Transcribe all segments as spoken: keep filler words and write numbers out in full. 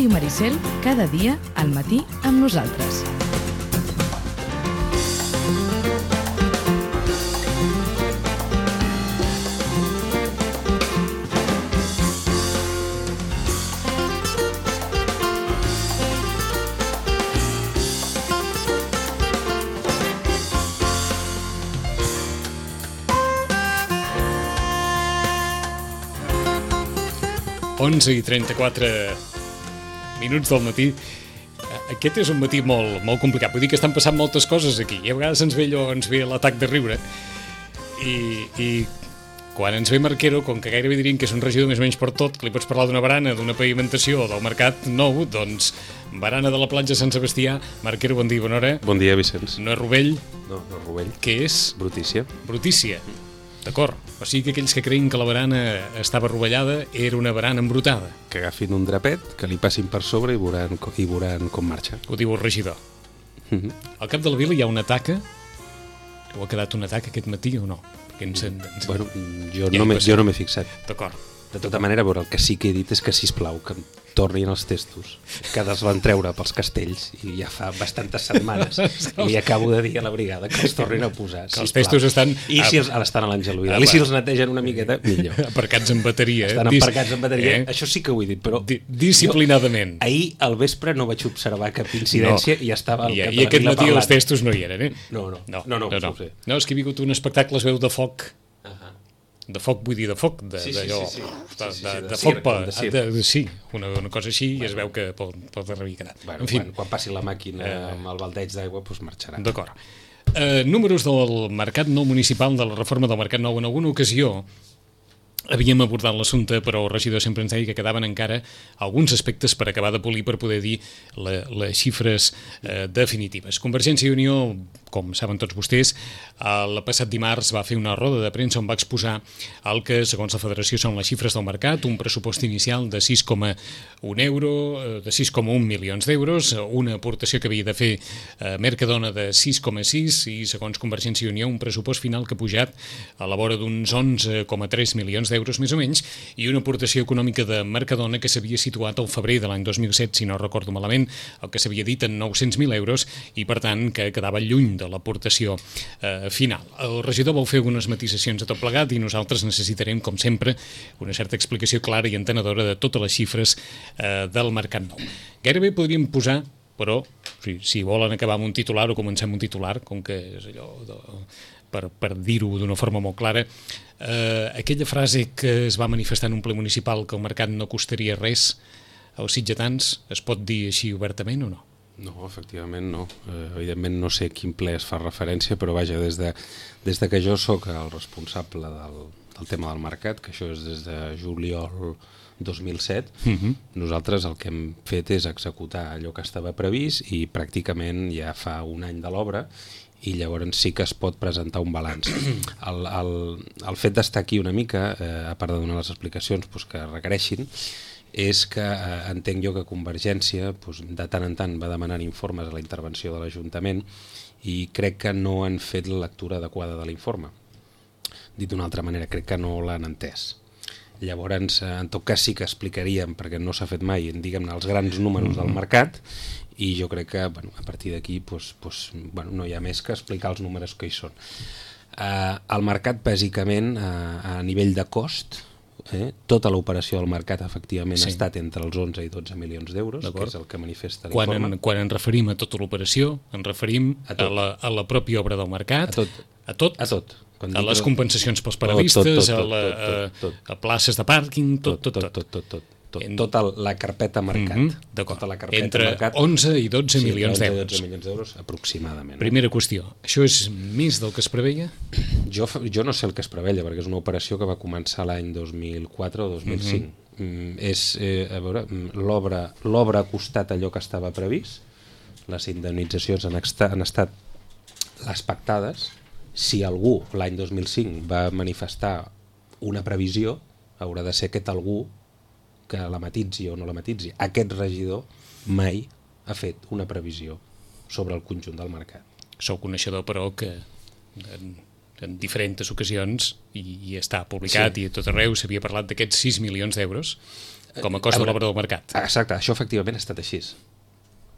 Ràdio Maricel, cada dia al matí amb nosaltres. onze i trenta-quatre minuts del matí. Aquest és un matí molt, molt complicat. Vull dir que estan passant moltes coses aquí. I a vegades ens ve allò, ens ve l'atac de riure. I, i quan ens ve Marquero, com que gairebé diríem que és un regidor més o menys per tot, que li pots parlar d'una barana, d'una pavimentació o del mercat nou, doncs barana de la platja Sant Sebastià. Marquero, bon dia, bona hora. Bon dia, Vicenç. No és rovell. No, no és rovell. Què és? Brutícia. Brutícia. D'acord. O sigui que aquells que creien que la barana estava rovellada era una barana embrutada. Que agafin un drapet, que li passin per sobre i veuran, i veuran com marxa. Ho diu el regidor. Mm-hmm. Al cap de la vila hi ha una taca. O ha quedat una taca aquest matí o no? Perquè ens, ens... Bueno, jo ja no m'he jo no m'he fixat. D'acord. De tota manera, veure, el que sí que he dit és que, sisplau, que em tornin els testos, que els van treure pels castells, i ja fa bastantes setmanes li acabo de dir a la brigada que els tornin a posar, que els testos estan... I si els, ara estan a l'Àngel Vidal, i si els netegen una miqueta, millor. Aparcats en bateria. Estan aparcats en bateria, eh? Això sí que ho he dit, però... Di disciplinadament. Jo, ahir al vespre no vaig observar cap incidència no. i estava... I, i aquest matí parlant. Els testos no hi eren, eh? No, no, no, no, no, no, no. Sé. No, és que he vingut un espectacle, es veu de foc. De foc, vull dir, de foc, de, sí, sí, allò, sí, sí. de, Sí, sí, de, sí, de, de foc, circ, pa, de circ. de, de, sí, una, una cosa així, bueno, i es veu que pot, pot haver quedat. Bueno, en fi, quan, quan passi la màquina eh, amb el baldeig d'aigua, doncs marxarà. D'acord. Eh, números del Mercat Nou Municipal, de la reforma del Mercat Nou. En alguna ocasió havíem abordat l'assumpte, però el regidor sempre ens deia que quedaven encara alguns aspectes per acabar de polir per poder dir la, les xifres eh, definitives. Convergència i Unió, com saben tots vostès, el passat dimarts va fer una roda de premsa on va exposar el que, segons la Federació, són les xifres del mercat, un pressupost inicial de sis coma un euro, de sis coma un milions d'euros, una aportació que havia de fer eh, Mercadona de sis coma sis i, segons Convergència i Unió, un pressupost final que ha pujat a la vora d'uns onze coma tres milions d'euros més o menys, i una aportació econòmica de Mercadona que s'havia situat al febrer de l'any dos mil set, si no recordo malament, el que s'havia dit en nou-cents mil euros, i per tant que quedava lluny de l'aportació eh, final. El regidor vol fer algunes matisacions a tot plegat i nosaltres necessitarem, com sempre, una certa explicació clara i entenedora de totes les xifres eh, del Mercat Nou. Gairebé podríem posar, però si, si volen acabar amb un titular o comencem un titular, com que és allò de, per, per dir-ho d'una forma molt clara, eh, aquella frase que es va manifestar en un ple municipal que el mercat no costaria res als sitgetans, es pot dir així obertament o no? No, efectivament no. Eh, evidentment no sé a quin ple es fa referència, però vaja, des de, des de que jo sóc el responsable del, del tema del mercat, que això és des de juliol dos mil set, uh-huh. nosaltres el que hem fet és executar allò que estava previst i pràcticament ja fa un any de l'obra i llavors sí que es pot presentar un balanç. El, el, el fet d'estar aquí una mica, eh, a part de donar les explicacions doncs, que requereixin, és que eh, entenc jo que Convergència doncs, de tant en tant va demanar informes a la intervenció de l'Ajuntament i crec que no han fet la lectura adequada de l'informe. Dit d'una altra manera, crec que no l'han entès. Llavors, en tot cas sí que explicaríem, perquè no s'ha fet mai, diguem-ne, els grans números del mercat, i jo crec que bueno, a partir d'aquí doncs, doncs, bueno, no hi ha més que explicar els números que hi són. Eh, el mercat, bàsicament, eh, a nivell de cost, Eh, tota l'operació del mercat efectivament sí. ha estat entre els onze i dotze milions d'euros, que és el que manifesta l'informe. Quan, en, quan ens referim a tota l'operació, ens referim a, a, la, a la pròpia obra del mercat, a tot, a, tot, a, tot. Quan a les compensacions pels paradistes, a, la, a, a places de pàrquing, tot, tot, tot. tot, tot, tot, tot. Tot, tota la carpeta mercat. Mm-hmm, tota la carpeta entre mercat, onze i dotze sí, milions onze d'euros. dotze milions d'euros aproximadament. Primera qüestió, això és més del que es preveia? Jo, jo no sé el que es preveia, perquè és una operació que va començar l'any dos mil quatre o dos mil cinc. Mm-hmm. mm, és, eh, a veure, l'obra l'obra ha costat allò que estava previst, les indemnitzacions han, esta, han estat les pactades. Si algú l'any dos mil cinc va manifestar una previsió, haurà de ser aquest algú que la matitzi o no la matitzi. Aquest regidor mai ha fet una previsió sobre el conjunt del mercat. Sou coneixedor, però, que en diferents ocasions, i, i està publicat, sí. I a tot arreu s'havia parlat d'aquests sis milions d'euros com a cost de l'obra del mercat. Exacte, això efectivament ha estat així.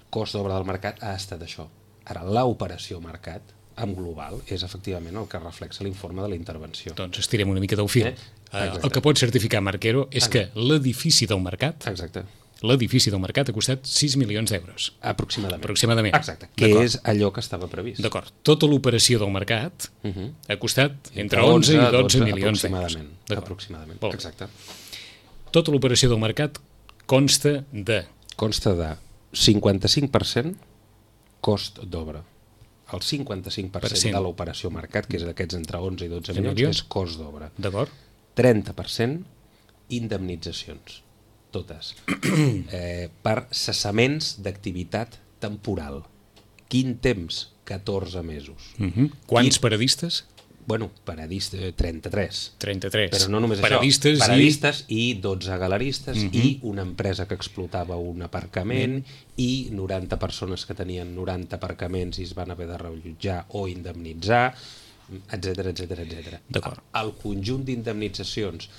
Cost d'obra del mercat ha estat això. Ara, l'operació mercat, en global, és efectivament el que reflexa l'informe de la intervenció. Doncs estirem una mica del fil. Eh? El que pot certificar Marquero és Exacte. Que l'edifici del mercat... Exacte. L'edifici del mercat ha costat sis milions d'euros. Aproximadament. Aproximadament. Exacte, que és allò que estava previst. D'acord. Tota l'operació del mercat uh -huh. ha costat entre onze i dotze milions d'euros. Aproximadament. Aproximadament. Exacte. Tota l'operació del mercat consta de... Consta de cinquanta-cinc per cent cost d'obra. El cinquanta-cinc per cent de l'operació mercat, que és d'aquests entre onze i dotze milions, milions, és cost d'obra. D'acord. trenta per cent indemnitzacions. Totes, eh, per cessaments d'activitat temporal. Quin temps? catorze mesos. Uh -huh. Quants Quin... paradistes? Bueno, paradistes, trenta-tres. trenta-tres. Però no només paradistes això. Paradistes i, i dotze galeristes uh -huh. i una empresa que explotava un aparcament uh -huh. i noranta persones que tenien noranta aparcaments i es van haver de reallotjar o indemnitzar, etcètera, etcètera, etcètera. D'acord. El conjunt d'indemnitzacions,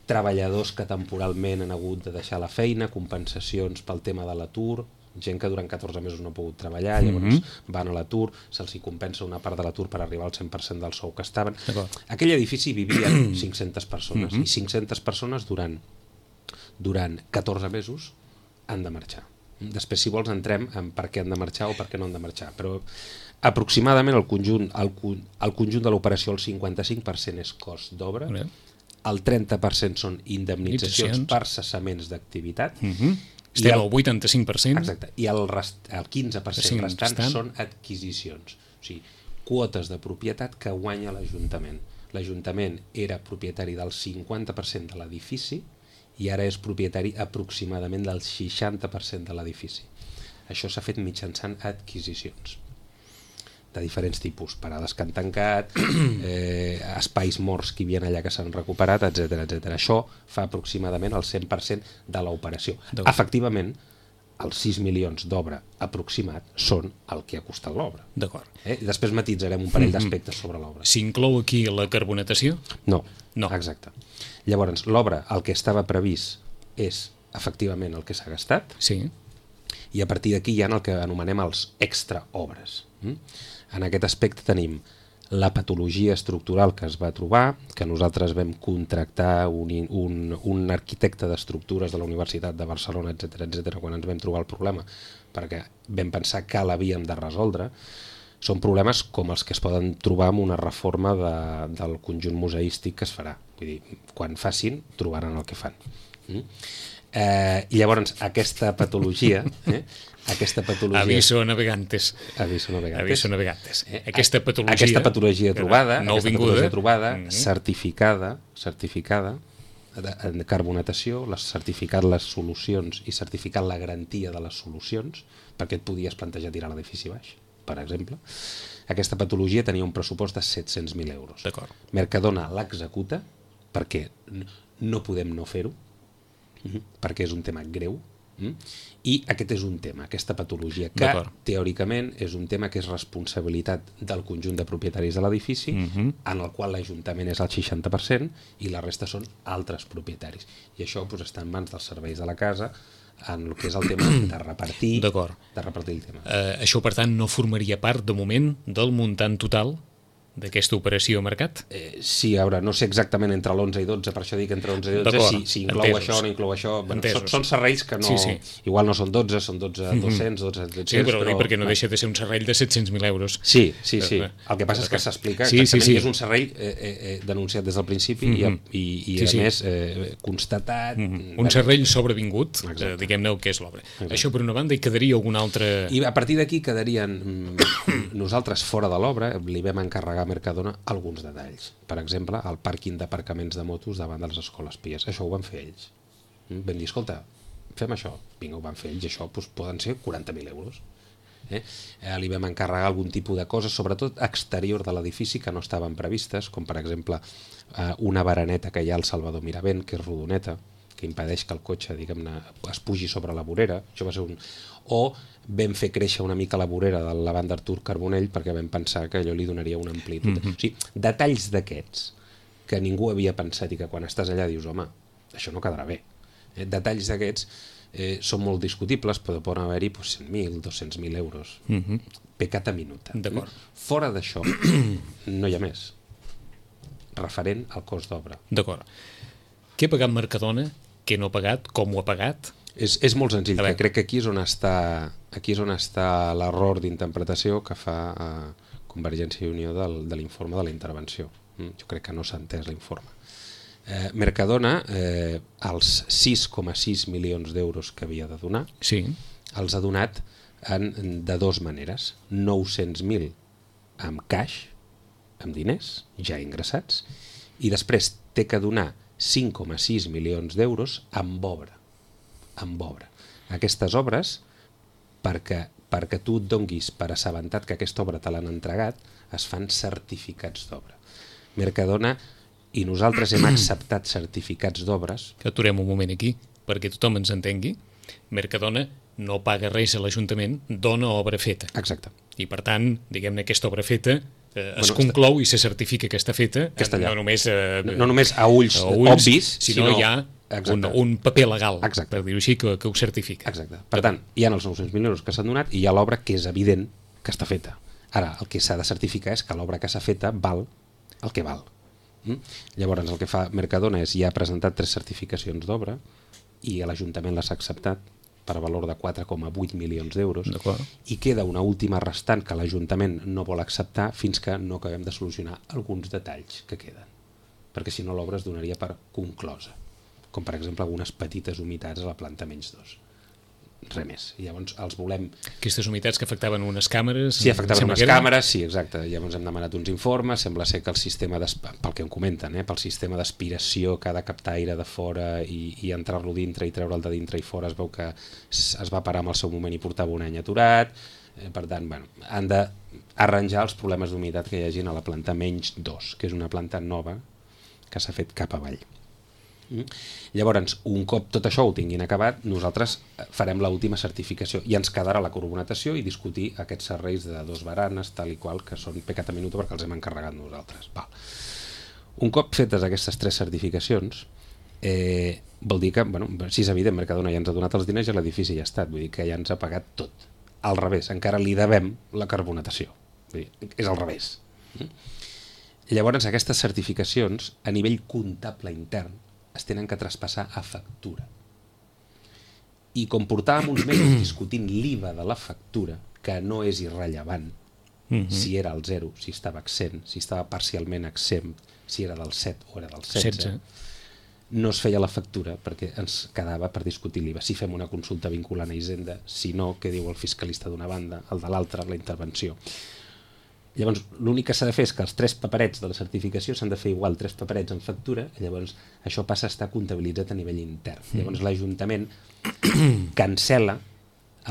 treballadors que temporalment han hagut de deixar la feina, compensacions pel tema de l'atur, gent que durant catorze mesos no ha pogut treballar, llavors mm-hmm. van a l'atur, se'ls compensa una part de l'atur per arribar al cent per cent del sou que estaven. Aquell edifici vivien cinc-centes persones mm-hmm. i cinc-centes persones durant, durant catorze mesos han de marxar. Després, si vols, entrem en per què han de marxar o per què no han de marxar, però aproximadament el conjunt, el, el conjunt de l'operació, el cinquanta-cinc per cent és cost d'obra, mm-hmm. el trenta per cent són indemnitzacions per cessaments d'activitat, mm-hmm. estem al vuitanta-cinc per cent. Exacte, i el, rest, el quinze per cent restant, restant són adquisicions, o sigui, quotes de propietat que guanya l'Ajuntament. L'Ajuntament era propietari del cinquanta per cent de l'edifici i ara és propietari aproximadament del seixanta per cent de l'edifici. Això s'ha fet mitjançant adquisicions de diferents tipus, parades que han tancat, eh, espais morts que hi havia allà que s'han recuperat, etcètera, etcètera. Això fa aproximadament el cent per cent de l'operació. Efectivament, els sis milions d'obra aproximat són el que ha costat l'obra. D'acord. Eh? I després matitzarem un parell d'aspectes sobre l'obra. S'inclou aquí la carbonatació? No, no. Exacte. Llavors, l'obra, el que estava previst és efectivament el que s'ha gastat, sí. I a partir d'aquí hi ha el que anomenem els extraobres. En aquest aspecte tenim la patologia estructural que es va trobar, que nosaltres vam contractar un, un, un arquitecte d'estructures de la Universitat de Barcelona, etcètera, etcètera, quan ens vam trobar el problema, perquè vam pensar que l'havíem de resoldre. Són problemes com els que es poden trobar amb una reforma de, del conjunt museístic que es farà. Vull dir, quan facin, trobaran el que fan. Mm? Eh, I llavors, aquesta patologia... Eh, aquesta patologia... Aviso navegantes. Aviso navegantes. Aviso navegantes. Eh, aquesta patologia... Aquesta patologia trobada, no aquesta vinguda, patologia trobada, mm-hmm. certificada, certificada, en carbonatació, les, certificat les solucions i certificat la garantia de les solucions, perquè et podies plantejar tirar l'edifici baix, per exemple. Aquesta patologia tenia un pressupost de set-cents mil euros. D'acord. Mercadona l'executa, perquè no podem no fer-ho, perquè és un tema greu, i aquest és un tema, aquesta patologia, que teòricament és un tema que és responsabilitat del conjunt de propietaris de l'edifici, uh-huh. en el qual l'Ajuntament és el seixanta per cent i la resta són altres propietaris. I això doncs, està en mans dels serveis de la casa, en el que és el tema de repartir, de repartir el tema. Uh, això, per tant, no formaria part, de moment, del muntant total d'aquesta operació a mercat? Eh, sí, a veure, no sé exactament entre l'onze i dotze, per això dic entre onze i dotze, si, si inclou entesos. Això o no inclou això. Bueno, són, són serrells que no... Sí, sí. Igual no són dotze, són dotze, dos-cents, dotze, dos-cents... Sí, però, però perquè no deixa de ser un serrell de set-cents mil euros. Sí, sí, sí. El que passa és que s'explica sí, exactament sí, sí. que és un serrell eh, eh, denunciat des del principi mm-hmm. i, i, i sí, a sí. més eh, constatat... Mm-hmm. Un serrell sobrevingut, eh, diguem-ne el que és l'obra. Això per una banda, i quedaria alguna altra... I a partir d'aquí quedarien... Nosaltres, fora de l'obra, li vam encarregar a Mercadona alguns detalls. Per exemple, el pàrquing d'aparcaments de motos davant de les escoles pies. Això ho van fer ells. Vam dir, escolta, fem això. Vinga, ho van fer ells. Això doncs, poden ser quaranta mil euros. Eh? Eh, li vam encarregar algun tipus de coses, sobretot exterior de l'edifici, que no estaven previstes, com per exemple eh, una baraneta que hi ha al Salvador Miravent, que és rodoneta, que impedeix que el cotxe, diguem-ne, es pugi sobre la vorera. Això va ser un... O vam fer créixer una mica la vorera de la banda Artur Carbonell perquè vam pensar que allò li donaria una amplitud. Mm-hmm. O sigui, detalls d'aquests que ningú havia pensat i que quan estàs allà dius, home, això no quedarà bé. Eh, detalls d'aquests eh, són molt discutibles, però poden haver-hi pues, cent mil, dos-cents mil euros. Mm-hmm. Pecata minuta. D'acord. Fora d'això, no hi ha més. Referent al cost d'obra. D'acord. Què ha pagat Mercadona? Què no ha pagat? Com ho ha pagat? És, és molt senzill, que crec que aquí és on està, aquí és on està l'error d'interpretació que fa eh, Convergència i Unió del, de l'informe de la intervenció. Mm? Jo crec que no s'ha entès l'informe. Eh, Mercadona, eh, els sis coma sis milions d'euros que havia de donar, sí. els ha donat en, de dues maneres. nou-cents mil amb caix, amb diners ja ingressats, i després té que donar cinc coma sis milions d'euros amb obra. amb obra. Aquestes obres, perquè, perquè tu et donguis per assabentat que aquesta obra te l'han entregat, es fan certificats d'obra. Mercadona i nosaltres hem acceptat certificats d'obres. Que aturem un moment aquí, perquè tothom ens entengui. Mercadona no paga res a l'Ajuntament, dona obra feta. Exacte. I per tant, diguem-ne, aquesta obra feta eh, es bueno, conclou està... i se certifica que està feta, que està no, només, eh, no, no només a ulls, a ulls obvis, sinó, sinó hi ha un, un paper legal, Exacte. per dir-ho així, que, que ho certifica. Exacte. Per tant, hi ha els nou-cents mil euros que s'han donat i hi ha l'obra que és evident que està feta. Ara, el que s'ha de certificar és que l'obra que s'ha feta val el que val. Mm? Llavors, el que fa Mercadona és ja ha presentat tres certificacions d'obra i l'Ajuntament les ha acceptat per valor de quatre coma vuit milions d'euros i queda una última restant que l'Ajuntament no vol acceptar fins que no acabem de solucionar alguns detalls que queden, perquè si no l'obra es donaria per conclosa, com per exemple algunes petites humitats a la planta menys dos. Res més. I llavors els volem... Aquestes humitats que afectaven unes càmeres... Sí, afectaven unes càmeres, sí, exacte. Llavors hem demanat uns informes, sembla ser que el sistema, pel que em comenten, eh, pel sistema d'aspiració que ha de captar aire de fora i, i entrar-lo dintre i treure'l de dintre i fora, es veu que es va parar en el seu moment i portava un any aturat. Eh, per tant, bueno, han d'arranjar els problemes d'humitat que hi hagin a la planta menys dos, que és una planta nova que s'ha fet cap avall. Mm. Llavors, un cop tot això ho tinguin acabat, nosaltres farem l'última certificació i ens quedarà la carbonatació i discutir aquests serveis de dos baranes, tal i qual, que són pecata minuta perquè els hem encarregat nosaltres. Val. Un cop fetes aquestes tres certificacions, eh, vol dir que, bueno, si és evident, Mercadona ja ens ha donat els diners i l'edifici ja ha estat, vull dir que ja ens ha pagat tot. Al revés, encara li devem la carbonatació. Vull dir, és al revés. Mm. Llavors, aquestes certificacions, a nivell comptable intern, es tenen que traspassar a factura. I com portàvem uns mesos discutint l'I V A de la factura, que no és irrellevant, mm-hmm. si era al zero, si estava exempt, si estava parcialment exempt, si era del set o era del setze, no es feia la factura perquè ens quedava per discutir l'I V A. Si fem una consulta vinculant a Hisenda, si no, què diu el fiscalista d'una banda, el de l'altra, la intervenció. Llavors, l'únic que s'ha de fer és que els tres paperets de la certificació s'han de fer igual, tres paperets en factura, i llavors això passa a estar comptabilitzat a nivell intern. Mm. Llavors l'Ajuntament cancela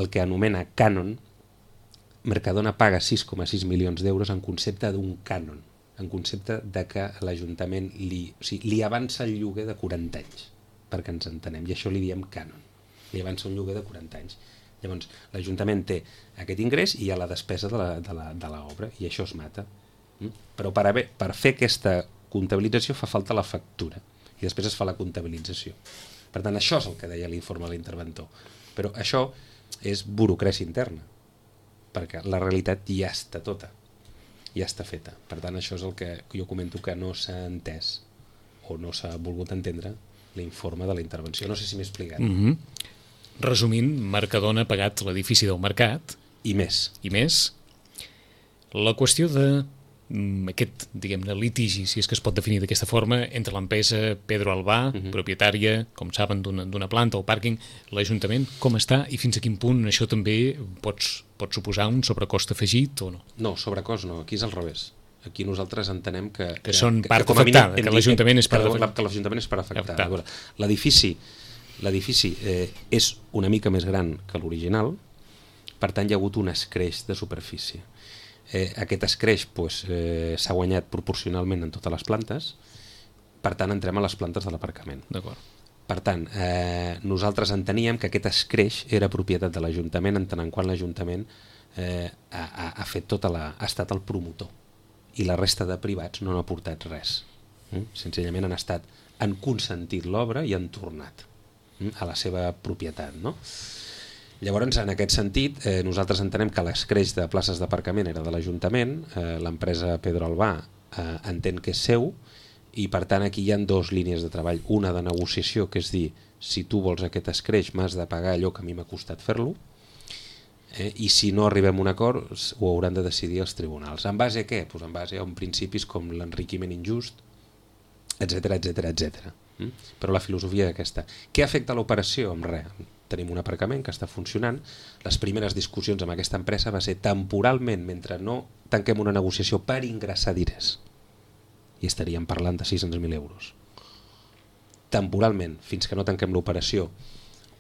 el que anomena cànon. Mercadona paga sis coma sis milions d'euros en concepte d'un cànon, en concepte de que l'Ajuntament li, o sigui, li avança el lloguer de quaranta anys, perquè ens entenem, i això li diem cànon. Li avança un lloguer de quaranta anys. Llavors, l'Ajuntament té aquest ingrés i hi ha la despesa de l'obra, i això es mata. Mm? Però per, haver, per fer aquesta comptabilització fa falta la factura, i després es fa la comptabilització. Per tant, això és el que deia l'informe de l'interventor. Però això és burocràcia interna, perquè la realitat ja està tota, ja està feta. Per tant, això és el que jo comento que no s'ha entès o no s'ha volgut entendre l'informe de la intervenció. No sé si m'he explicat. Mm-hmm. Resumint, Mercadona ha pagat l'edifici del Mercat. I més. I més. La qüestió de mm, aquest, diguem-ne, litigi, si és que es pot definir d'aquesta forma, entre l'empresa Pedro Albà, uh-huh. propietària, com saben, d'una planta o pàrquing, l'Ajuntament, com està i fins a quin punt això també pots, pot suposar un sobrecost afegit o no? No, sobrecost no, aquí és al revés. Aquí nosaltres entenem que... Que, que són part que, que afectada, mínim, que l'Ajuntament és part afectada. Que l'Ajuntament és part afectada. L'edifici L'edifici eh, és una mica més gran que l'original, per tant hi ha hagut un escreix de superfície. Eh, aquest escreix pues, eh, s'ha guanyat proporcionalment en totes les plantes, per tant entrem a les plantes de l'aparcament. D'acord. Per tant, eh, nosaltres enteníem que aquest escreix era propietat de l'Ajuntament, en tant en quant l'Ajuntament eh, ha, ha, ha fet tota la, ha estat el promotor i la resta de privats no han aportat res. Mm? Senzillament han estat, han consentit l'obra i han tornat mm? a la seva propietat, no? Llavors, en aquest sentit, eh, nosaltres entenem que l'escreix de places d'aparcament era de l'Ajuntament, eh, l'empresa Pedro Albà eh, entén que és seu, i per tant aquí hi ha dues línies de treball, una de negociació, que és dir, si tu vols aquest escreix m'has de pagar allò que a mi m'ha costat fer-lo, eh, i si no arribem a un acord ho hauran de decidir els tribunals. En base a què? Pues en base a un principis com l'enriquiment injust, etcètera, etcètera, etcètera. Mm? Però la filosofia és aquesta. Què afecta l'operació? Amb res. Tenim un aparcament que està funcionant. Les primeres discussions amb aquesta empresa va ser temporalment, mentre no tanquem una negociació per ingressar diners. I estaríem parlant de sis-cents mil euros. Temporalment, fins que no tanquem l'operació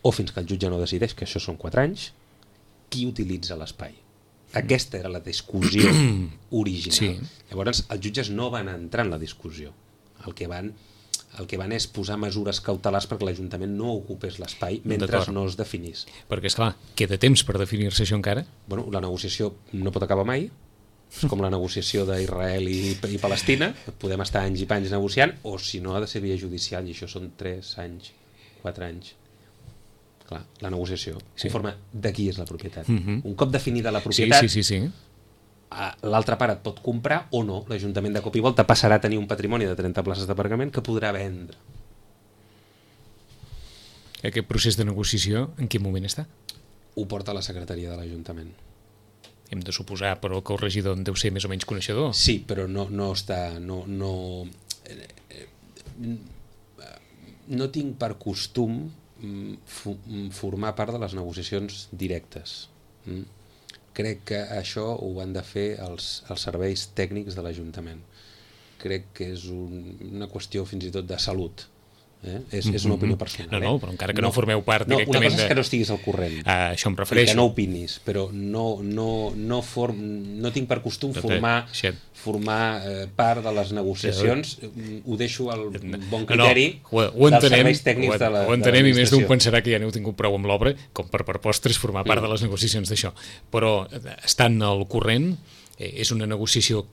o fins que el jutge no decideix, que això són quatre anys, qui utilitza l'espai? Aquesta era la discussió original. Sí. Llavors, els jutges no van entrar en la discussió. El que van... El que van és posar mesures cautelars perquè l'Ajuntament no ocupés l'espai mentre no es definís. Perquè, esclar, queda temps per definir-se això encara? Bueno, la negociació no pot acabar mai, és com la negociació d'Israel i, i Palestina, podem estar anys i panys negociant, o si no ha de ser via judicial, i això són tres anys, quatre anys. Clar, la negociació, sí. Conforme de qui és la propietat. Uh-huh. Un cop definida la propietat... Sí, sí, sí, sí. L'altra part et pot comprar o no. L'Ajuntament de cop i volta passarà a tenir un patrimoni de trenta places d'aparcament que podrà vendre. Aquest procés de negociació en quin moment està? Ho porta la secretaria de l'Ajuntament. Hem de suposar, però, que el regidor en deu ser més o menys coneixedor. Sí, però no, no està... No, no, no tinc per costum formar part de les negociacions directes. Crec que això ho han de fer els, els serveis tècnics de l'Ajuntament. Crec que és un, una qüestió fins i tot de salut. Eh? És, és una opinió personal. No, no, però encara que no, no formeu part no, directament... Una cosa és que no estiguis al corrent. Ah, això em refereixo. I que no opinis, però no, no, no, form, no tinc per costum formar, formar eh, part de les negociacions. Ho deixo al bon criteri no, no, ho, ho entenem, dels serveis tècnics ho, de la Ho entenem i més d'un pensarà que ja n'heu tingut prou amb l'obra com per per postres formar part de les negociacions d'això. Però estant al corrent, eh, és una negociació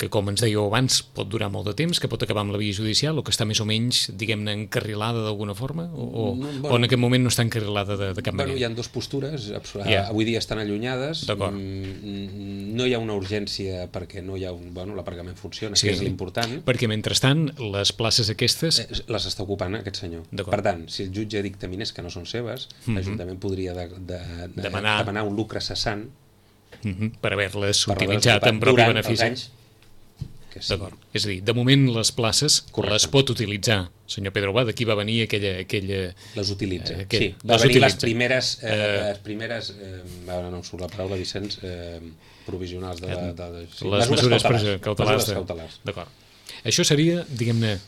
que, com ens dèieu abans, pot durar molt de temps, que pot acabar amb la via judicial, o que està més o menys, diguem-ne, encarrilada d'alguna forma, o, o, no, bueno, o en aquest moment no està encarrilada de, de cap bueno, manera? Hi ha dues postures, yeah. Avui dia estan allunyades, no hi ha una urgència perquè no hi ha un, bueno, l'aparcament funciona, sí, que és l'important. Perquè, mentrestant, les places aquestes... Eh, les està ocupant aquest senyor. Per tant, si el jutge dictaminés que no són seves, mm-hmm. l'Ajuntament podria de, de, de, demanar... demanar un lucre cessant mm-hmm. per haver-les utilitzat en propi benefici. Sí. D'acord. És a dir, de moment les places Correcte. Les pot utilitzar, senyor Pedro Albà, d'aquí va venir aquella... aquella les utilitza, eh, aquell, sí. Va venir utilitza. les primeres, eh, eh, les primeres eh, ara no em surt la paraula, Vicenç, eh, provisionals de... de, de, de sí, les mesures cautelars. cautelars, mesures cautelars. D'acord. Això seria, diguem-ne,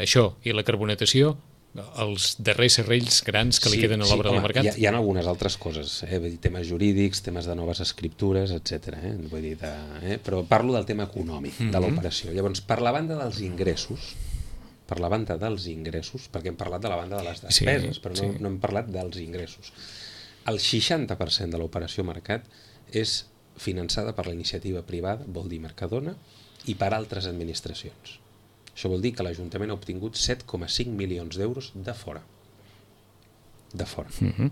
això i la carbonatació, els darrers serrells grans que li sí, queden a l'obra sí, del mercat? Hi ha, hi ha algunes altres coses, eh? Vull dir, temes jurídics, temes de noves escriptures, etcètera. Eh? Vull dir, de, eh? Però parlo del tema econòmic, mm-hmm. de l'operació. Llavors, per la banda dels ingressos, per la banda dels ingressos, perquè hem parlat de la banda de les despeses, sí, però no, sí. no hem parlat dels ingressos. El seixanta per cent de l'operació mercat és finançada per la iniciativa privada, vol dir Mercadona, i per altres administracions. Això vol dir que l'Ajuntament ha obtingut set coma cinc milions d'euros de fora. De fora. Mm-hmm.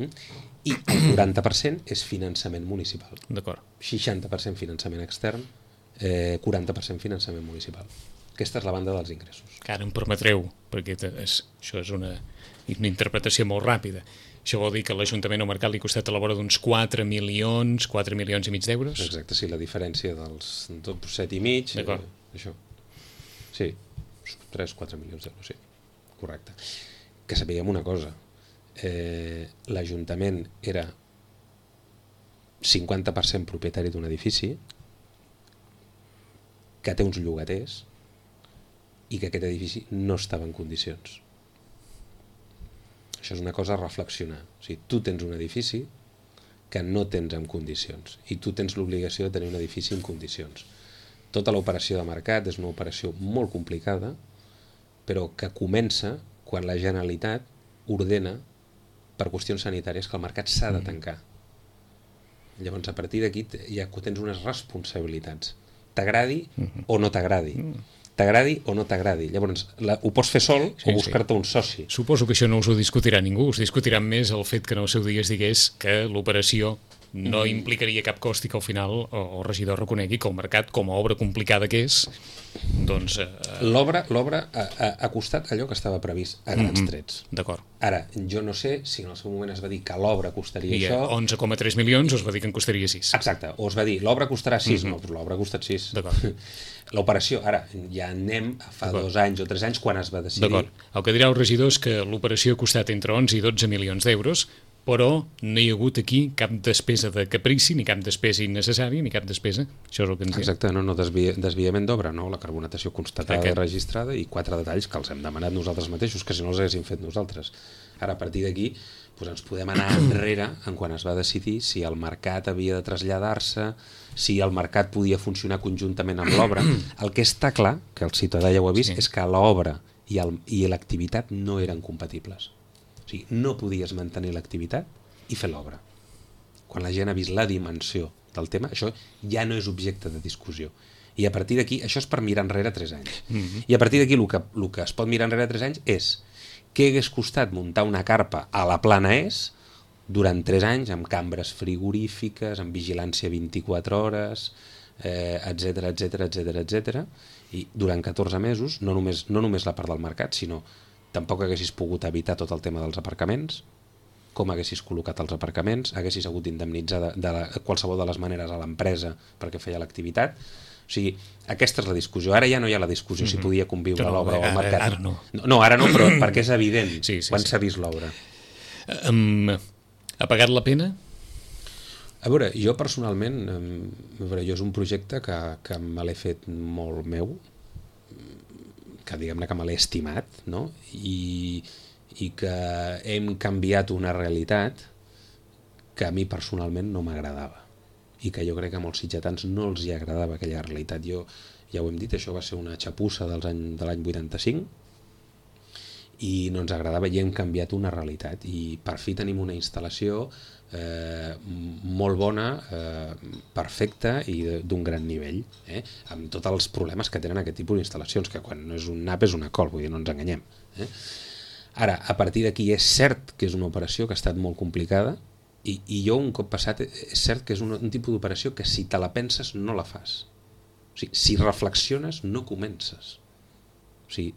Mm? I el quaranta per cent és finançament municipal. D'acord. seixanta per cent finançament extern, eh, quaranta per cent finançament municipal. Aquesta és la banda dels ingressos. Que ara em permetreu, perquè és, això és una, una interpretació molt ràpida. Això vol dir que l'Ajuntament o Mercat li ha costat a la vora d'uns quatre milions, quatre milions i mig d'euros? Exacte, sí, la diferència dels set i mig, eh, això. Sí, tres o quatre milions d'euros, sí, correcte. Que sapiguem una cosa, eh, l'Ajuntament era cinquanta per cent propietari d'un edifici que té uns llogaters i que aquest edifici no estava en condicions. Això és una cosa a reflexionar. O sigui, tu tens un edifici que no tens en condicions i tu tens l'obligació de tenir un edifici en condicions. Tota l'operació de mercat és una operació molt complicada, però que comença quan la Generalitat ordena per qüestions sanitàries que el mercat s'ha de tancar. Llavors, a partir d'aquí ja tens unes responsabilitats. T'agradi o no t'agradi. T'agradi o no t'agradi. Llavors, la, ho pots fer sol sí, o buscar-te sí. un soci. Suposo que això no us ho discutirà ningú. Us discutirà més el fet que en el seu dia es digués que l'operació no mm. implicaria cap cost i que al final el regidor reconegui que el mercat, com a obra complicada que és, doncs... Eh... L'obra l'obra ha, ha, ha costat allò que estava previst a grans mm-hmm. trets. D'acord. Ara, jo no sé si en el seu moment es va dir que l'obra costaria I això... I onze coma tres milions o es va dir que en costaria sis. Exacte, o es va dir l'obra costarà sis, mm-hmm. no, però l'obra ha costat sis. D'acord. L'operació, ara, ja anem a fa dos anys o tres anys quan es va decidir... D'acord. El que dirà el regidor és que l'operació ha costat entre onze i dotze milions d'euros, però no hi ha hagut aquí cap despesa de caprici, ni cap despesa innecessària, ni cap despesa. Això és el que ens diu. Exacte, no, no desvi desviament d'obra, no? La carbonatació constatada Aquest. i registrada i quatre detalls que els hem demanat nosaltres mateixos, que si no els haguéssim fet nosaltres. Ara, a partir d'aquí, doncs ens podem anar enrere en quan es va decidir si el mercat havia de traslladar-se, si el mercat podia funcionar conjuntament amb l'obra. El que està clar, que el ciutadà ja ho ha vist, sí. és que l'obra i l'activitat no eren compatibles. O sigui, no podies mantenir l'activitat i fer l'obra. Quan la gent ha vist la dimensió del tema, això ja no és objecte de discussió. I a partir d'aquí, això és per mirar enrere tres anys. Mm-hmm. I a partir d'aquí, el que, el que es pot mirar enrere tres anys és què hagués costat muntar una carpa a la Plana És durant tres anys, amb cambres frigorífiques, amb vigilància vint-i-quatre hores, eh, etcètera, etcètera, etcètera, etcètera, i durant catorze mesos, no només, no només la part del mercat, sinó tampoc haguessis pogut evitar tot el tema dels aparcaments, com haguessis col·locat els aparcaments, haguessis hagut d'indemnitzar de, de, de qualsevol de les maneres a l'empresa perquè feia l'activitat. O sigui, aquesta és la discussió. Ara ja no hi ha la discussió mm-hmm. si podia conviure no, l'obra o el mercat. Ara no. no. No, ara no, però perquè és evident sí, sí, quan sí. s'ha vist l'obra. Um, ha pagat la pena? A veure, jo personalment, um, a veure, jo és un projecte que, que me l'he fet molt meu, que diguem-ne que me l'he estimat, no? I, i que hem canviat una realitat que a mi personalment no m'agradava i que jo crec que a molts sitgetans no els hi agradava aquella realitat. Jo, ja ho hem dit, això va ser una xapussa dels any, de l'any vuitanta-cinc i no ens agradava i hem canviat una realitat i per fi tenim una instal·lació eh, molt bona, eh, perfecta i d'un gran nivell, eh, amb tots els problemes que tenen aquest tipus d'instal·lacions, que quan no és un nap és una col, vull dir, no ens enganyem. Eh? Ara, a partir d'aquí és cert que és una operació que ha estat molt complicada i, i jo un cop passat és cert que és un, un tipus d'operació que si te la penses no la fas. O sigui, si reflexiones no comences. O sigui,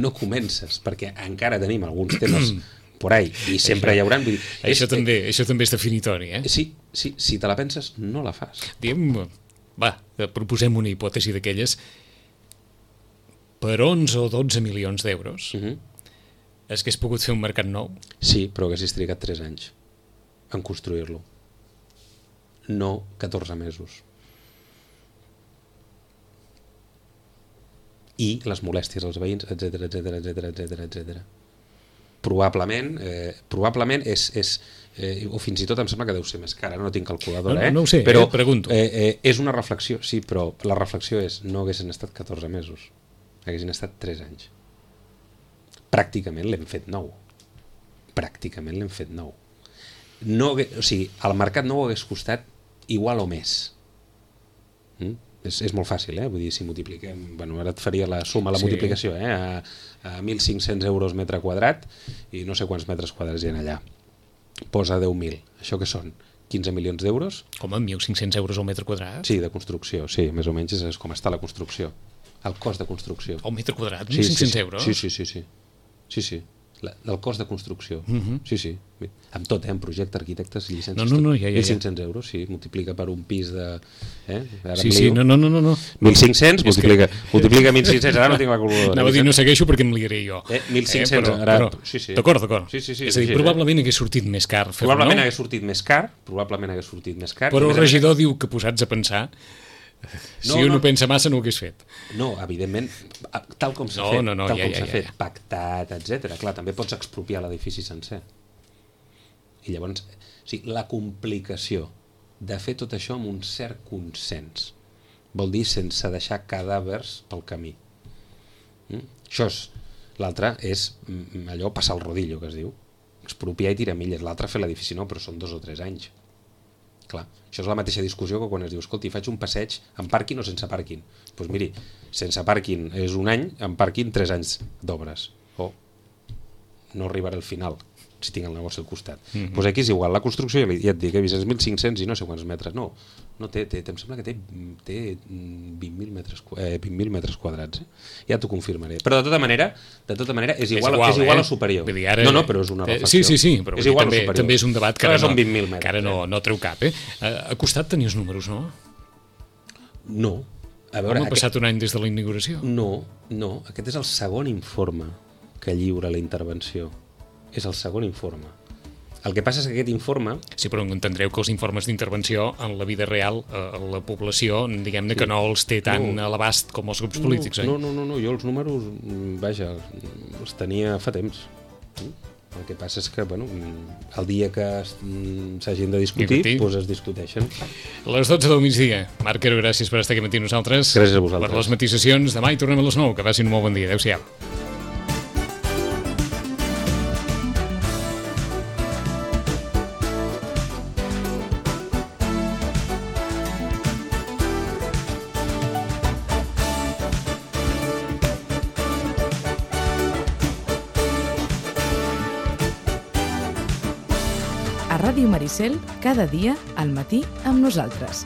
no comences, perquè encara tenim alguns temes por ahí, i sempre això, hi haurà... Vull dir, això, és, també, això també és definitori, eh? Sí, sí, si te la penses, no la fas. Diem, va, proposem una hipòtesi d'aquelles. Per onze o dotze milions d'euros, uh-huh. és que has pogut fer un mercat nou? Sí, però haguessis trigat tres anys en construir-lo. No catorze mesos. I les molèsties als veïns, etcètera, etcètera, etcètera, etcètera, etcètera. Probablement, eh, probablement és, és eh, o fins i tot em sembla que deu ser més cara, no tinc calculadora, no, eh? No ho sé, però eh, pregunto. Eh, eh, és una reflexió, sí, però la reflexió és no haguessin estat catorze mesos, haguessin estat tres anys. Pràcticament l'hem fet nou. Pràcticament l'hem fet nou. No, o sigui, el mercat no ho hagués costat igual o més. Mm? És, és molt fàcil, eh? Vull dir, si multipliquem... Bueno, ara et faria la suma, la sí. multiplicació, eh? A, a mil cinc-cents euros metre quadrat i no sé quants metres quadrats hi ha allà. Posa deu mil. Això què són? quinze milions d'euros? Com, mil cinc-cents euros al metre quadrat? Sí, de construcció, sí. Més o menys és com està la construcció. El cost de construcció. El metre quadrat? mil cinc-cents sí, sí, euros? Sí, sí, sí. sí. sí, sí. La, del cost de construcció. Uh-huh. Sí, sí. Amb tot, eh? En projecte, arquitectes, llicències... No, no, no, ja, ja, ja. mil cinc-cents euros, sí. Multiplica per un pis de... Eh? Ara sí, sí, no, no, no, no. mil cinc-cents, multiplica, que... multiplica mil cinc-cents, ara no tinc la calculadora. Anava a dir, no segueixo perquè em liaré jo. Eh? mil cinc-cents, eh, però, ara... Però, sí, sí. D'acord, d'acord. Sí, sí, sí, és a dir, sí, probablement eh? hagués sortit més car fer-ho, probablement no? hagués sortit més car, probablement hagués sortit més car. Però el regidor diu que posats a pensar... Si no, un no pensa massa no ho hagués fet. No, evidentment, tal com s'ha no, fet, no, no, tal ja, com ja, s'ha ja, fet, ja. pactat, etcètera. Clar, també pots expropiar l'edifici sencer. I llavors, o sigui, la complicació de fer tot això amb un cert consens vol dir sense deixar cadàvers pel camí. Mm? Això és L'altre és mm, allò passar el rodillo, que es diu. Expropiar i tirar milles. L'altre fer l'edifici no, però són dos o tres anys. Clar, això és la mateixa discussió que quan es diu escolti, faig un passeig amb pàrquing o sense pàrquing. Doncs pues miri, sense pàrquing és un any, amb pàrquing tres anys d'obres. O no arribaré al final si tinc el negoci al costat. Mm-hmm. Pues aquí és igual, la construcció, ja et dic, he vist mil cinc-cents i no sé quants metres. No, no té, té, em sembla que té, té vint mil metres, eh, vint mil metres quadrats. Eh? Ja t'ho confirmaré. Però de tota manera, de tota manera és igual, és igual, és igual eh? o superior. Vull dir, ara, no, no, però és una reflexió. Sí, sí, sí, però és igual també, també és un debat que ara, no, metres, que ara no, no treu cap. Eh? A costat tenies números, no? No. A veure, Com ha passat aquest... un any des de la inauguració? No, no. Aquest és el segon informe que lliura la intervenció. És el segon informe. El que passa és que aquest informe... Sí, però entendreu que els informes d'intervenció en la vida real, eh, la població, diguem-ne sí. que no els té tan no. a l'abast com els grups polítics, no, oi? No, no, no, no, jo els números, vaja, els tenia fa temps. El que passa és que, bueno, el dia que s'hagin de discutir, doncs es discuteixen. Les dotze del migdia. Marc Quero, gràcies per estar aquí matí nosaltres. Gràcies a vosaltres. Per les matisacions. Demà hi tornem a les nou. Que passin un molt bon dia. Adéu-siau. A Ràdio Maricel, cada dia al matí amb nosaltres.